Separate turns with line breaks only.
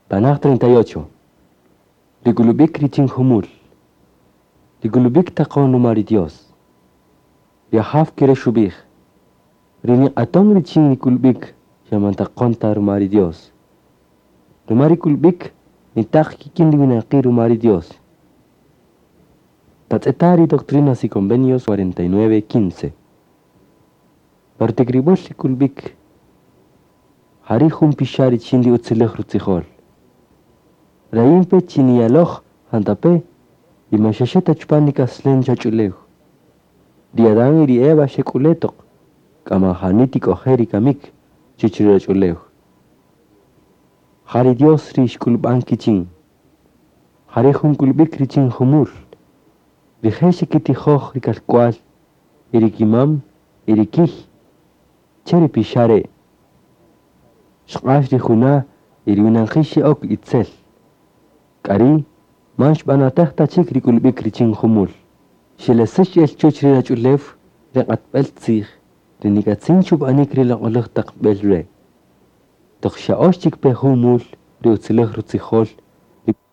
Tanaj 38. Rikulub'ik richin jumul. Rikulub'ik taqon ruma ri Dios. Ri Ajaw kere' xub'ij: Ri niq'aton richin rikulub'ik xa man taqon ta ruma ri Dios. Ruma rikulub'ik nitaq kik'in ri winaqi' ruma ri Dios. Tatz'eta' ri Doctrinas y Convenios 49:15. Partikrib'äl rikulub'ik jari' jun pixa' richin ri utziläj rutzijol. Rayinpe chi niyaloj jantape' y man xa xe ta chupan nik'aslen chach'ulew. Ri Adán y ri Eva xek'ule' toq k'a man jani tik'oje' ri kamik chuwäch ri ruwach'ulew. Ja ri Dios ri xk'ulub'an kichin. Jari' jun k'ulub'ik richin jumul. Rije' xekitijoj ri kalk'wal y ri kimam y ri kiy che ri pixa' re'. Xq'ax ri juna' y ri winaqi' xe'ok itzel. K'a ri' man xb'anatäj ta chik ri k'ulub'ik richin jumul. Xelesäx el chuwäch ri ruwach'ulew ri q'atb'äl tzij ri nik'atzin chub'anik ri loq'oläj taq b'ey re'. Toq xya'öx chik pe jun mul ri utziläj rutzijol.